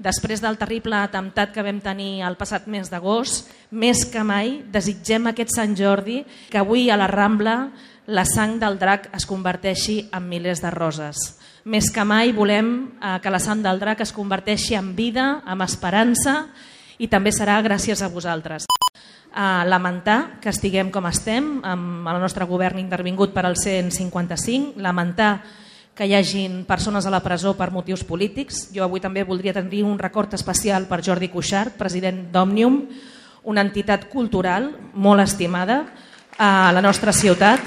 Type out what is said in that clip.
Després del terrible atemptat que vam tenir el passat mes d'agost, més que mai desitgem aquest Sant Jordi que avui a la Rambla la sang del drac es converteixi en milers de roses. Més que mai volem que la sang del drac es converteixi en vida, en esperança, i també serà gràcies a vosaltres. Lamentar que estiguem com estem, amb el nostre govern intervingut per al 155, lamentar que hi hagin persones a la presó per motius polítics. Jo avui també voldria tenir un record especial per Jordi Cuixart, president d'Òmnium, una entitat cultural molt estimada a la nostra ciutat.